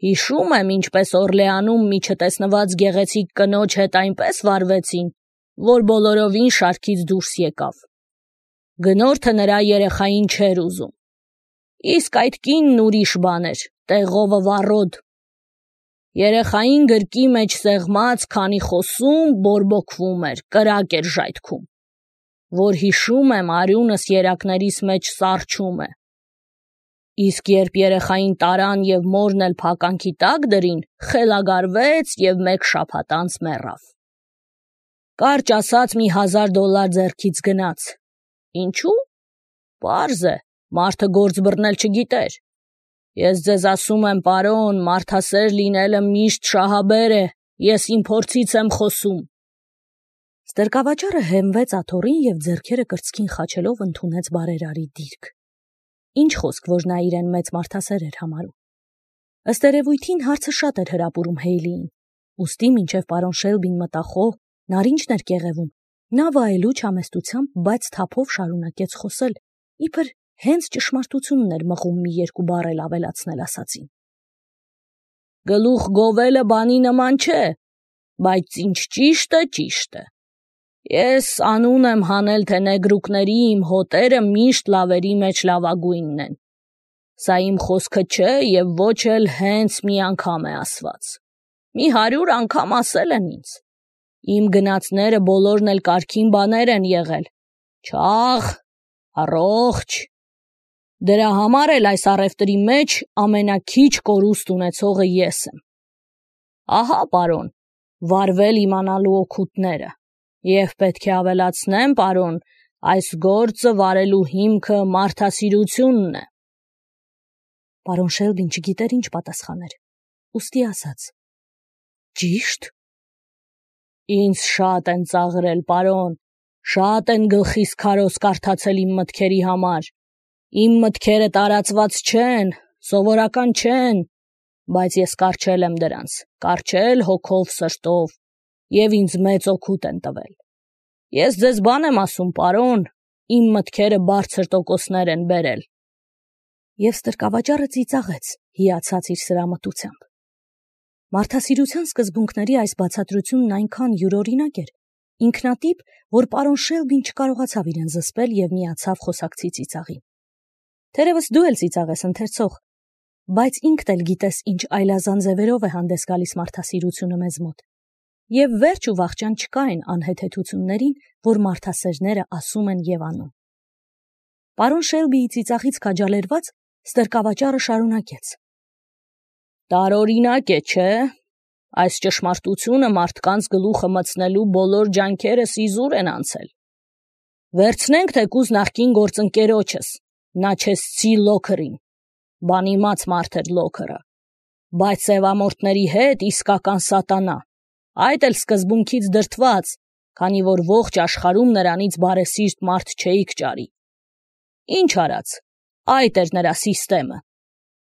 Հիշում եմ, ինչպես Օրլեանում մի չտեսնված գեղեցիկ կնոջ հետ այնպես վարվեցին, որ բոլորովին շարքից դուրս եկավ։ Գնորդը նրա երեխային չէր ուզում։ Իսկ այդ կինն ուրիշ բան էր, տեղովը վառոդ։ Երեխային գրկի մեջ սեղմած, քանի խոսում, բորբոքվում էր, կրակ էր ժայթքում, որ հիշում եմ արյունս երակներիս մեջ սառչում է։ Իսկ երբ երեխային տարան և մորն էլ փականքի տակ դրին, խելագարվեց և մեկ շաբաթ անց մեռավ։ Կարճ ասած մի $1000 ձեռքից գնաց։ Ինչու՞։ Պարզ է, մարդը գործ բռնել չգիտեր։ Ես ձեզ ասում եմ, պարոն, մարդասեր լինելը միշտ շահաբեր է, ես իմ փորձից եմ խոսում։ Ստրկավաճառը հենվեց աթոռին և ձեռքերը կրծքին խաչելով ընդունեց բարերարի դիրք։ Ինչ խոսք, որ նա իրեն մեծ մարդասեր էր համարում։ Ըստ երևույթին հարցը շատ էր հրապուրում Հեյլիին, ուստի մինչև պարոն Շելբին մտախոհ, նարինջն էր կեղևում, նա վայելուչ համեստությամբ, բայց թափով շարունակեց խոսել, իբր հենց ճշմարտությունն էր մղում մի երկու բառ էլ ավելացնել ասածին։ Գլուխ գովելը բանի նման չէ, բայց ինչ ճիշտ է, ճիշտ է։ Ես անուն եմ հանել, թե նեգրուկների իմ հոտերը միշտ լավերի մեջ լավագույնն են։ Սա իմ խոսքը չէ և ոչ էլ հենց մի անգամ է ասված։ Մի 100 անգամ ասել են ինձ։ Իմ գնացները բոլորն էլ կարգին բաներ են եղել։ Չաղ, առողջ։ Դրա համար էլ այս առևտրի մեջ ամենաքիչ կորուստ ունեցողը ես եմ։ Ահա, պարոն, վարվել իմանալու օգուտները։ Եվ պետք է ավելացնեմ, պարոն, այս գործը վարելու հիմքը մարդասիրությունն է։ Պարոն Շելբին չգիտեր ինչ պատասխաներ, ուստի ասաց. Ճիշտ։ Ինձ շատ են ծաղրել, պարոն, շատ են գլխիս քարոզ կարդացել իմ մտքերի համար։ Իմ մտքերը տարածված չեն, սովորական չեն, բայց ես կառչել եմ դրանց, կառչել հոգով սրտով, և ինձ մեծ օգուտ են տվել։ Ես ձեզ բան եմ ասում, պարոն, իմ մտքերը բարձր տոկոսներ են բերել։ Եվ ստրկավաճառը ծիծաղեց, հիացած իր սրամտությամբ։ Մարդասիրության սկզբունքների այս բացատրությունն այնքան յուրօրինակ էր, ինքնատիպ, որ պարոն Շելբին չկարողացավ իրեն զսպել և միացավ խոսակցի ծիծաղին։ Թերևս դու էլ ծիծաղես, ընթերցող, բայց ինքդ էլ գիտես, ինչ այլազան ձևերով է հանդես գալիս մարդասիրությունը մեզ մոտ։ Եվ վերջ ու վախճան չկա այն անհեթեթություններին, որ մարդասերները ասում են և անում։ Պարոն Շելբիի ծիծաղից քաջալերված, ստրկավաճառը շարունակեց. Տարօրինակ է, չէ՞։ Այս ճշմարտությունը մարդկանց գլուխը մտցնելու բոլոր ջանքերս իզուր են անցել։ Վերցնենք թեկուզ նախկին գործընկերոջս, Նաչեսցի Լոքերին, բանիմաց մարդ էր Լոքերը, բայց սևամորթների հետ իսկական սատանա, այդ էլ սկզբունքից դրդված, քանի որ ողջ աշխարհում նրանից բարեսիրտ մարդ չէիք ճարի։ Ինչ արած, այդ էր նրա սիստեմը։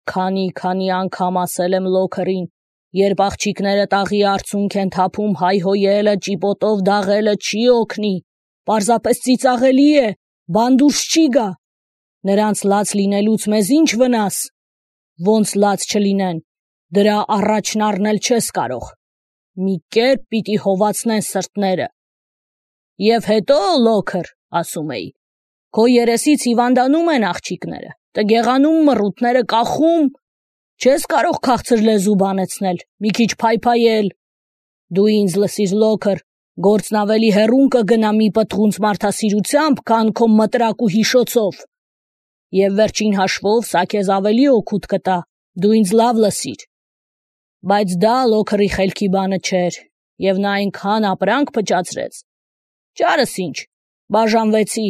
Քանի անգամ ասել եմ Լոքերին, երբ աղջիկները տաղի արցունք են թափում, հայհոյելը, ճիպոտով դաղելը չի օգնի, պարզապես ծիծաղելի է, բան դուրս չի գա։ Նրանց լաց լինելուց մեզ ինչ վնաս։ Ոնց լաց չլինեն, դրա առաջն առնել չես կարող։ Մի կերպ պիտի հովացնեն սրտները։ Եվ հետո, Լոքեր, ասում էի, քո երեսից հիվանդանում են աղջիկները, տգեղանում մռութները կախում, չես կարող քաղցր լեզու բանեցնել, մի քիչ փայփայել։ Դու ինձ լսիր, Լոքեր, գործն ավելի հեռուն կգնա մի պտղունց մարդասիրությամբ, քան քո մտրակ ու հիշոցով։ Եվ վերջին հաշվով սա քեզ ավելի օգուտ կտա, դու ինձ լավ լսիր։ Բայց դա Լոքերի խելքի բանը չէր, և նա այնքան ապրանք փճացրեց։ Ճարս ինչ, բաժանվեցի,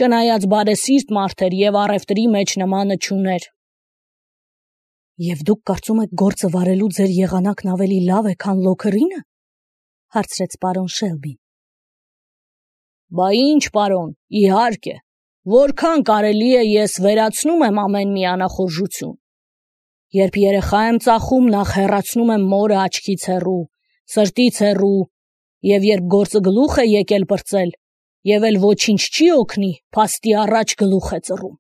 չնայած բարեսիրտ մարդ էր և առևտրի մեջ նմանը չուներ։ Եվ դուք կարծում եք գործը վարելու ձեր եղանակն ավելի լավ է, քան Լոքերինը, հարցրեց պարոն Շելբին։ Բա ինչ, պարոն, իհարկե, որքան կարելի է ես վերացնում եմ ամեն մի անախորժություն։ Երբ երեխա եմ ծախում, նախ հեռացնում եմ մորը աչքից հեռու, սրտից հեռու, և երբ գործը գլուխ է եկել պրծել, և էլ ոչինչ չի օգնի, փաստի առաջ գլուխ է ծռում։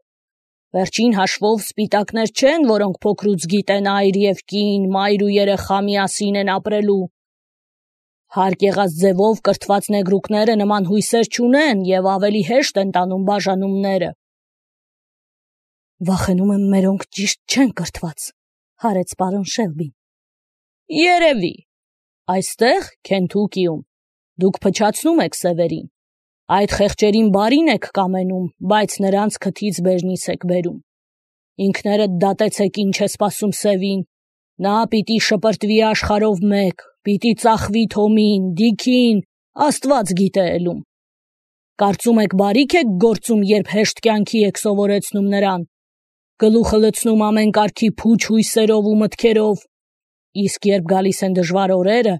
Վերջին հաշվով սպիտակներ չեն, որոնք փոքրուց գիտեն այր և կին, մայր ու երեխա միասին են ապրելու։ Հարկ եղած ձևով կրթված նեգրուկները նման հույսեր չունեն և ավելի հեշտ են տանում բաժանումները։ Վախենում եմ մերոնք ճիշտ չեն կրթված, հարեց պարոն Շելբին։ Երևի։ Այստեղ, Քենթուկիում, դուք փչացնում եք սևերին։ Այդ խեղճերին բարին եք կամենում, բայց նրանց քթից բերնից եք բերում։ Ինքներդ դատեցեք ինչ է սպասում սևին։ Նա պիտի շպրտվի աշխարհով մեկ, պիտի ծախվի Թոմին, Դիքին, Աստված գիտե ելում։ Կարծում եք բարիք եք գործում, երբ հեշտ կյանքի եք սովորեցնում նրան, գլուխը լցնում ամեն կարգի փուչ հույսերով ու մտքերով։ Իսկ երբ գալիս են դժվար օրերը,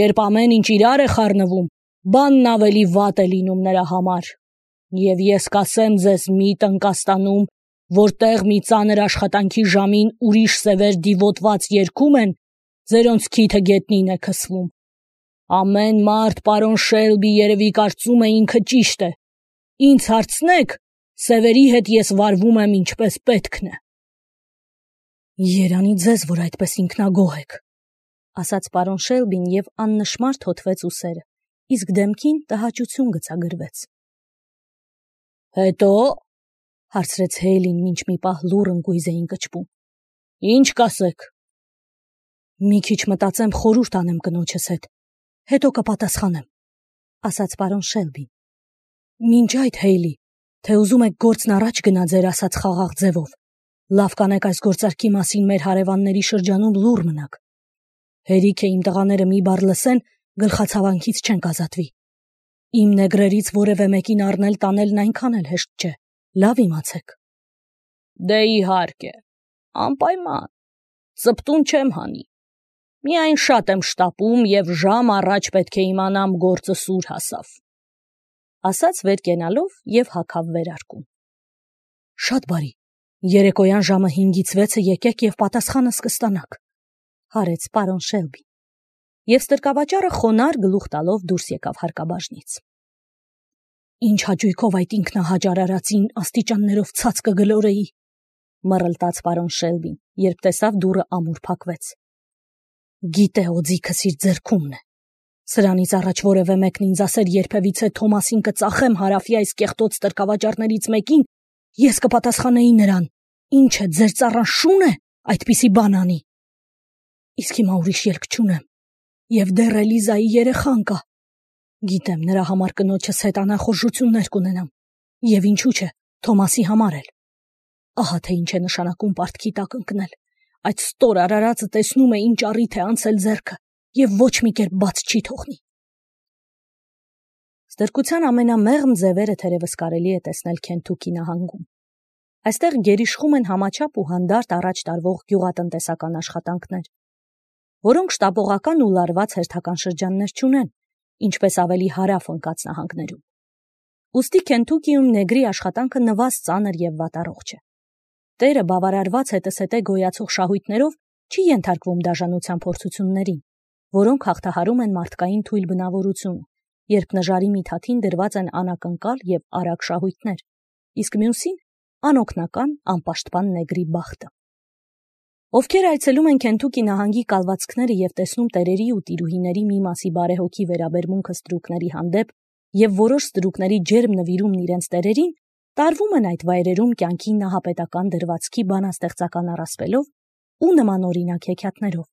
երբ ամեն ինչ իրար է խառնվում, բանն ավելի վատ է լինում նրա համար։ Եվ ես կասեմ ձեզ մի տնկաստանում, որտեղ մի ծանր աշխատանքի ժամին ուրիշ սևեր դիվոտված երգում են, ձերոնց քիթը գետնին է քսվում։ Ամեն մարդ պարոն Շելբի երևի կարծում է ինքը ճիշտ է։ Ինձ հարցնեք, սևերի հետ ես վարվում եմ ինչպես պետքն է։ Երանի ձեզ, որ այդպես ինքնագոհ եք, ասաց պարոն Շելբին և աննշմար թոթվեց ուսերը, իսկ դեմքին տհաճություն գցագրվեց։ Հետո, հարցրեց Հեյլին, մինչ մի պահ լուռ ընկույզ էին կճվում։ Ինչ կասեք։ Մի քիչ մտածեմ, խորհուրդ անեմ կնոջս հետ, հետո կպատասխանեմ, ասաց պարոն Շելբին։ Մինչ այդ, Հեյլի, թե ուզում եք գործն առաջ գնա ձեր ասած խաղաղ ձևով, լավ կանեք այս գործարքի մասին մեր հարևանների շրջանում լուռ մնաք։ Հերիք է իմ տղաները մի բառ լսեն, գլխացավանքից չենք ազատվի։ Իմ նեգրերից որևէ մեկին առնել տանելն այնքան էլ հեշտ չէ, լավ իմացեք։ Դե իհարկե, անպայման, ծպտուն չեմ հանի։ Միայն շատ եմ շտապում և ժամ առաջ պետք է իմանամ գործը սուր հասավ։ Ասաց վեր կենալով և հագավ վերարկուն։ Շատ բարի, երեկոյան ժամը 5-ից 6-ը եկեք և պատասխանս կստանաք, հարեց պարոն Շելբին։ Եվ ստրկավաճառը խոնարհ գլուխ տալով դուրս եկավ հարկաբաժնից։ Ինչ հաճույքով այդ ինքնահաճարարածին աստիճաններով ցած կգլորեի, մռլտաց պարոն Շելբին, երբ տեսավ դուռը ամուր փակվեց։ Գիտե օձիքս իր ձեռքումն է։ Սրանից առաջ որևէ մեկն ինձ ասեր երբևիցե Թոմասին կծախեմ հարավի այս կեղտոտ ստրկավաճառներից մեկին, ես կպատասխանեի նրան. ինչ է, ձեր ծառան շուն է այդպիսի բան անի։ Իսկ հիմա ուրիշ ելք չունեմ, և դեռ Էլիզայի երեխան կա։ Գիտեմ, նրա համար կնոջս հետ անախորժություններ կունենամ, և ինչու՞ չէ, Թոմասի համար էլ։ Ահա թե ինչ է նշանակում պարտքի տակ ընկնել։ Այդ ստոր արարածը տեսնում է ինչ առիթ է անցել ձեռքը և ոչ մի կերպ բաց չի թողնի։ Ստրկության ամենամեղմ ձևերը թերևս կարելի է տեսնել Քենթուքի նահանգում։ Այստեղ գերիշխում են համաչափ ու հանդարտ առաջ տարվող գյուղատնտեսական աշխատանքներ, որոնք շտապողական ու լարված հերթական շրջաններ չունեն, ինչպես ավելի հարավ ընկած նահանգներում։ Ուստի Քենթուկիում նեգրի աշխատանքը նվազ ծանր և վատառողջ է։ Տերը բավարարված հետզհետե գոյացող շահույթներով չի ենթարկվում դաժանության փորձություններին, որոնք հաղթահարում են մարդկային թույլ բնավորությունը, երբ նժարի միթաթին դրված են անակնկալ և արագ շահույթներ, իսկ մյուսին անօգնական, անպաշտպան նեգրի բախտը։ Ովքեր այցելում են Քենթուկի նահանգի կալվածքները և տեսնում տերերի ու տիրուհիների մի մասի բարեհոգի վերաբերմունքը ստրուկների հանդեպ և որոշ ստրուկների ջերմ նվիրումն իրենց տերերին, տարվում են այդ վայրերում կյանքի նահապետական դրվածքի բանաստեղծական առասպելով ու նմանօրինակ հեքիաթներով։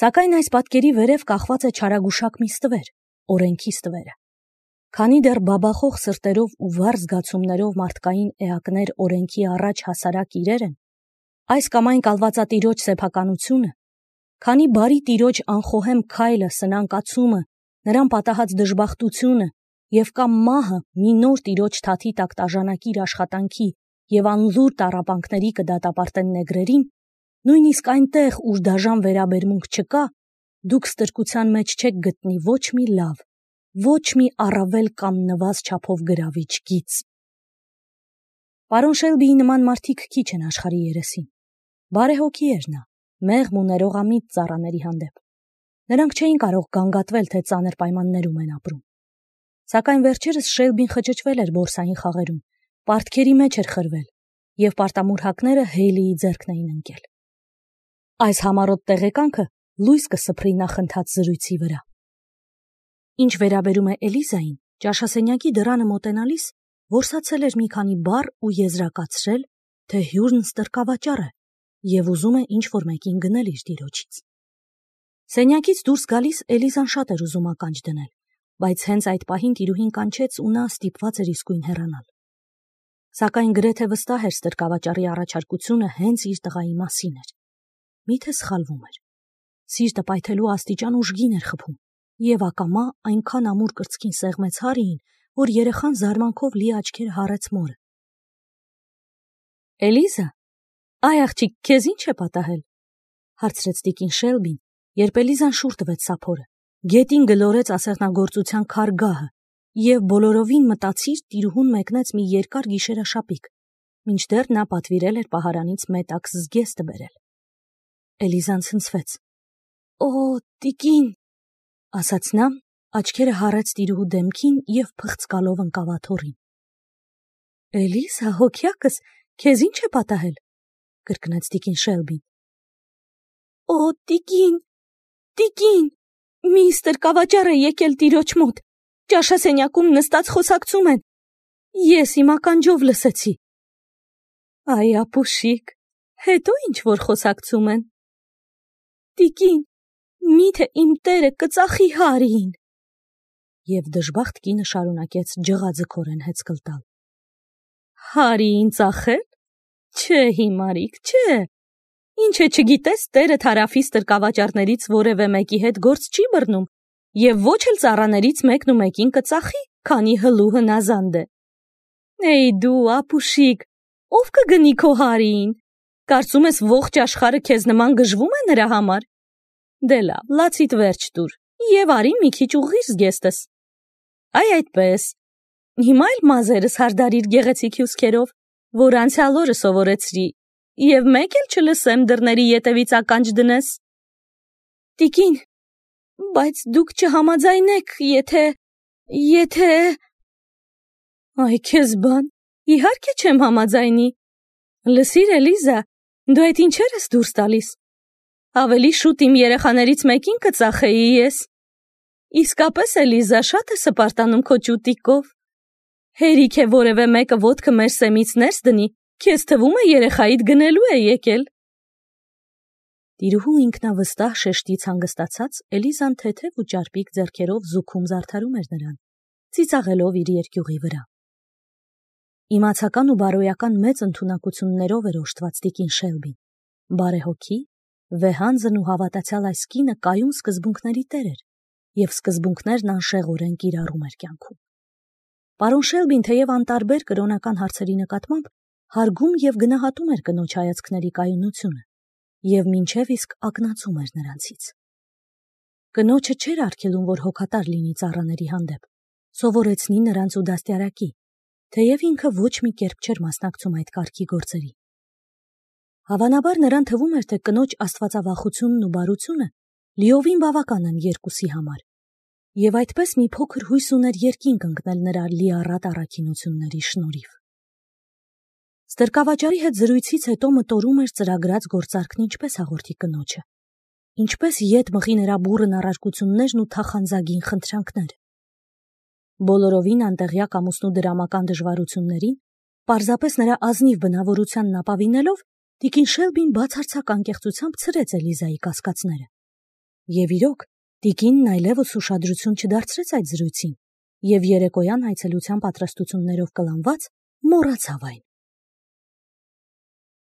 Սակայն այս պատկերի վերև կախված է չարագուշակ մի ստվեր, օրենքի ստվերը։ Քանի դեռ բաբախող սրտերով ու վառ զգացումներով մարդկային էակներ օրենքի առաջ հասարակ իրեր են, այս կամ այն կալվածատիրոջ սեփականությունը, քանի բարի տիրոջ անխոհեմ քայլը, սնանկացումը, նրան պատահած դժբախտությունը և կամ մահը մի նոր տիրոջ թաթի տակ տաժանակիր աշխատանքի և անլուր տառապանքների կդատապարտեն նեգրերին, նույնիսկ այնտեղ, ուր դաժան վերաբերմունք չկա, դուք ստրկության մեջ չեք գտնի ոչ մի լավ, ոչ մի առավել կամ նվազ չափով գրավիչ գիծ։ Պարոն Շելբիի նման մարդիկ քիչ են աշխարհի երեսին։ Բարեհոգի էր նա, մեղմ ու ներողամիտ ծառաների հանդեպ։ Նրանք չէին կարող գանգատվել, թե ծանր պայմաններում են ապրում։ Սակայն վերջերս Շելբին խճճվել էր բորսային խաղերում, պարտքերի մեջ էր խրվել եւ պարտամուրհակները Հեյլիի ձեռքն էին ընկել։ Այս համառոտ տեղեկանքը լույս կսփռի նախընթաց զրույցի վրա։ Ինչ վերաբերում է Էլիզային, ճաշասենյակի դռանը մոտենալիս որսացել էր մի քանի բառ ու եզրակացրել, թե հյուրն ստրկավաճառ է եւ ուզում է ինչ-որ մեկին գնել իր տիրոջից։ Սենյակից դուրս գալիս Էլիզան շատ էր ուզում ականջ դնել, բայց հենց այդ պահին տիրուհին կանչեց ու նա ստիպված էր իսկույն հեռանալ։ Սակայն գրեթե վստահ էր ստրկավաճառի առաջարկությունը հենց իր տղայի մասին էր։ Միթե սխալվում էր։ Սիրտը պայթելու աստիճան ուժգին էր խփում, եւ ակամա այնքան ամուր կրծքին սեղմեց Հարիին, որ երեխան զարմանքով լի աչքերը հառեց մորը։ Էլիզա, այ աղջիկ, քեզ ինչ է պատահել, հարցրեց տիկին Շելբին, երբ Էլիզան շուռ տվեց սափորը, գետին գլորեց ասեղնագործության քարգահը եւ բոլորովին մտածիր տիրուհուն մեկնեց մի երկար գիշերաշապիկ, մինչդեռ նա պատվիրել էր պահարանից մետաքս զգեստը բերել։ Էլիզան ցնցվեց։ Օ, տիկին, ասաց նա, աչքերը հառեց տիրուհու դեմքին եւ փղծկալով ընկավ աթոռին։ Էլիզա, հոգյակս, քեզ ինչ է պատահել, կրկնեց տիկին Շելբին։ Օ, տիկին, միստր կավաճառ է եկել տիրոջ մոտ, ճաշասենյակում նստած խոսակցում են, ես իմ ականջով լսեցի։ Այ ապուշիկ, հետո ինչ որ խոսակցում են։ Տիկին, միթե իմ տերը կծախի Հարիին։ Եվ դժբախտ կինը շարունակեց ջղաձգորեն հեծկլ տալ։ Հարիին ծախել։ Չէ, հիմարիկ, չէ։ Ինչ է չգիտես, տերը թարաֆի ստրկավաճառներից որևէ մեկի հետ գործ չի բռնում, եւ ոչ էլ ծառաներից մեկն ու մեկին կծախի, քանի հլու հնազանդ է։ Էй դու, ապուշիկ, ով կգնի քո Հարիին։ Կարծում ես ողջ աշխարհը քեզ նման գժվում է նրա համար։ Դե լավ, լացիդ վերջ տուր, եւ արի մի քիչ ուղղիր զգեստս։ Այ այդպես։ Հիմա էլ մազերս հարդարիր գեղեցիկ հյուսքերով, որ անցյալ օրը սովորեցրի, եւ մեկ էլ չլսեմ դռների ետևից ականջ դնես։ Տիկին, բայց դուք չհամաձայնեք, եթե… Այ քեզ բան, իհարկե չեմ համաձայնի։ Լսիր, Էլիզա, դու այդ ինչեր ես դուրս տալիս։ Ավելի շուտ իմ երեխաներից մեկին կծախեի ես։ Իսկապես, Էլիզա, շատ է սպարտանում քո ճուտիկով։ Հերիք է որևէ մեկը ոտքը մեր սեմից ներս դնի, քեզ թվում է երեխայիդ գնելու է եկել։ Տիրուհու ինքնավստահ շեշտից հանգստացած Էլիզան թեթև ու ճարպիկ ձեռքերով զուգում զարդարում էր նրան, ծիծաղելով իր երկյուղի վրա։ Իմացական ու բարոյական մեծ ընդունակություններով էր օժտված տիկին Շելբին։ Բարեհոգի, վեհանձն ու հավատացյալ այս կինը կայուն սկզբունքների տեր էր, եւ սկզբունքներն անշեղորեն կիրառում էր կյանքում։ Պարոն Շելբին թեև անտարբեր կրոնական հարցերի նկատմամբ հարգում եւ գնահատում էր կնոջ հայացքների կայունությունը եւ մինչեւ իսկ ակնածում էր նրանցից։ Կնոջը չէր արգելում, որ հոգատար լինի ծառաների հանդեպ, սովորեցնի նրանց ու դաստիարակի, թեև ինքը ոչ մի կերպ չէր մասնակցում այդ կարգի գործերի։ Հավանաբար նրան թվում էր, թե կնոջ աստվածավախությունն ու բարությունը լիովին բավական են երկուսի համար, եւ այդպես մի փոքր հույս ուներ երկինք ընկնել նրա լիառատ առաքինությունների շնորհիվ։ Ստրկավաճառի հետ զրույցից հետո մտորում էր ծրագրած գործարքն ինչպես հաղորդի կնոջը, ինչպես ետ մղի նրա բուռն առարկություններն ու թախանձագին խնդրանքները։ Բոլորովին անտեղյակ ամուսնու դրամական դժվարություններին, պարզապես նրա ազնիվ բնավորությանն ապավինելով, տիկին Շելբին բացարձակ անկեղծությամբ ցրեց Էլիզայի կասկածները։ Եվ իրոք, տիկինն այլևս ուշադրություն չդարձրեց այդ զրույցին, եւ երեկոյան այցելության պատրաստություններով կլանված մոռացավ այն։